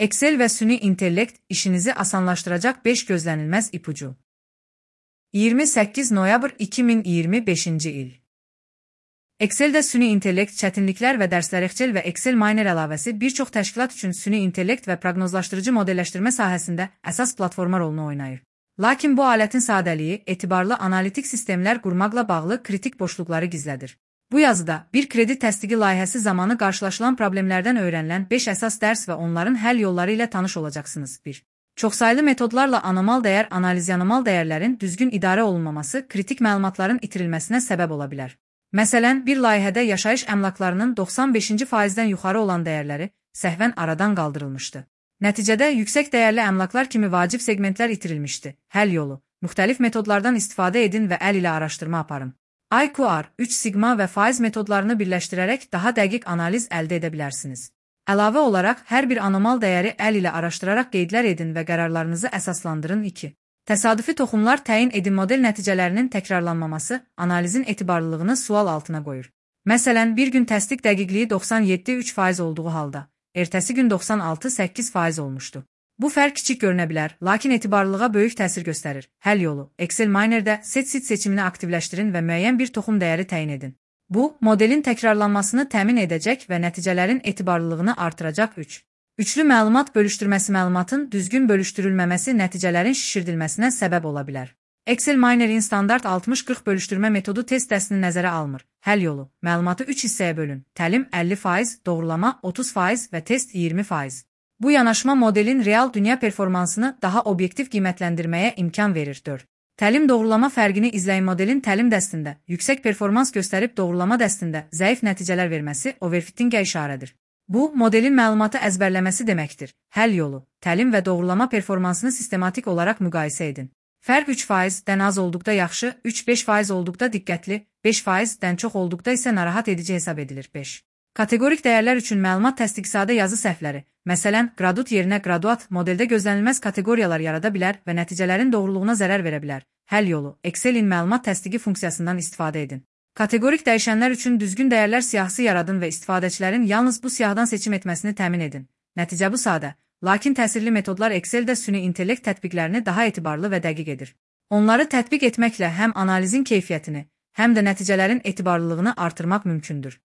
Excel və süni intellekt işinizi asanlaşdıracaq 5 gözlənilməz ipucu. 28 noyabr 2025-ci il. Excel-də süni intellekt çətinliklər və dərslər Excel və Excel Miner əlavəsi bir çox təşkilat üçün süni intellekt və proqnozlaşdırıcı modelləşdirmə sahəsində əsas platforma rolunu oynayır. Lakin bu alətin sadəliyi, etibarlı analitik sistemlər qurmaqla bağlı kritik boşluqları gizlədir. Bu yazıda bir kredi təsdiqi layihəsi zamanı qarşılaşılan problemlərdən öyrənilən 5 əsas dərs və onların həll yolları ilə tanış olacaqsınız. 1. Çoxsaylı metodlarla anomal dəyər analizi anomal dəyərlərin düzgün idarə olunmaması kritik məlumatların itirilməsinə səbəb ola bilər. Məsələn, bir layihədə yaşayış əmlaklarının 95%-dən yuxarı olan dəyərləri səhvən aradan qaldırılmışdı. Nəticədə yüksək dəyərli əmlaklar kimi vacib segmentlər itirilmişdi. Həll yolu: müxtəlif metodlardan istifadə edin və əl ilə araşdırma aparın. IQR, 3 sigma və faiz metodlarını birləşdirərək daha dəqiq analiz əldə edə bilərsiniz. Əlavə olaraq, hər bir anomal dəyəri əl ilə araşdıraraq qeydlər edin və qərarlarınızı əsaslandırın. 2. Təsadüfi toxumlar təyin edin model nəticələrinin təkrarlanmaması analizin etibarlılığını sual altına qoyur. Məsələn, bir gün təsdiq dəqiqliyi 97,3% olduğu halda, ertəsi gün 96,8% olmuşdu. Bu fərq kiçik görünə bilər, lakin etibarlılığa böyük təsir göstərir. Həll yolu: Excel Miner'də set seçimini aktivləşdirin və müəyyən bir toxum dəyəri təyin edin. Bu, modelin təkrarlanmasını təmin edəcək və nəticələrin etibarlılığını artıracaq. 3. Üçlü məlumat bölüşdürməsi məlumatın düzgün bölüşdürülməməsi nəticələrin şişirdilməsinə səbəb ola bilər. Excel Miner'in standart 60-40 bölüşdürmə metodu test dəstini nəzərə almır. Həll yolu: məlumatı 3 hissəyə bölün. Təlim 50%, doğrulama 30% və test 20%. Bu yanaşma modelin real dünya performansını daha obyektiv qiymətləndirməyə imkan verir. 4. Təlim doğrulama fərqini izləyin. Modelin təlim dəstində yüksək performans göstərib doğrulama dəstində zəif nəticələr verməsi overfittingə işarədir. Bu, modelin məlumatı əzbərləməsi deməkdir. Həll yolu: təlim və doğrulama performansını sistematik olaraq müqayisə edin. Fərq 3%-dən az olduqda yaxşı, 3-5% olduqda diqqətli, 5%-dən çox olduqda isə narahat edici hesab edilir. 5. Kateqorik dəyərlər üçün məlumat təsdiqsadə yazı səhvləri, məsələn, qradut yerinə graduat modeldə gözlənilməz kateqoriyalar yarada bilər və nəticələrin doğruluğuna zərər verə bilər. Həll yolu: Excel'in məlumat təsdiqi funksiyasından istifadə edin. Kateqorik dəyişənlər üçün düzgün dəyərlər siyahısı yaradın və istifadəçilərin yalnız bu siyahıdan seçim etməsini təmin edin. Nəticə bu sadə, lakin təsirli metodlar Excel'də süni intellekt tətbiqlərini daha etibarlı və dəqiq edir. Onları tətbiq etməklə həm analizin keyfiyyətini, həm də nəticələrin etibarlılığını artırmaq mümkündür.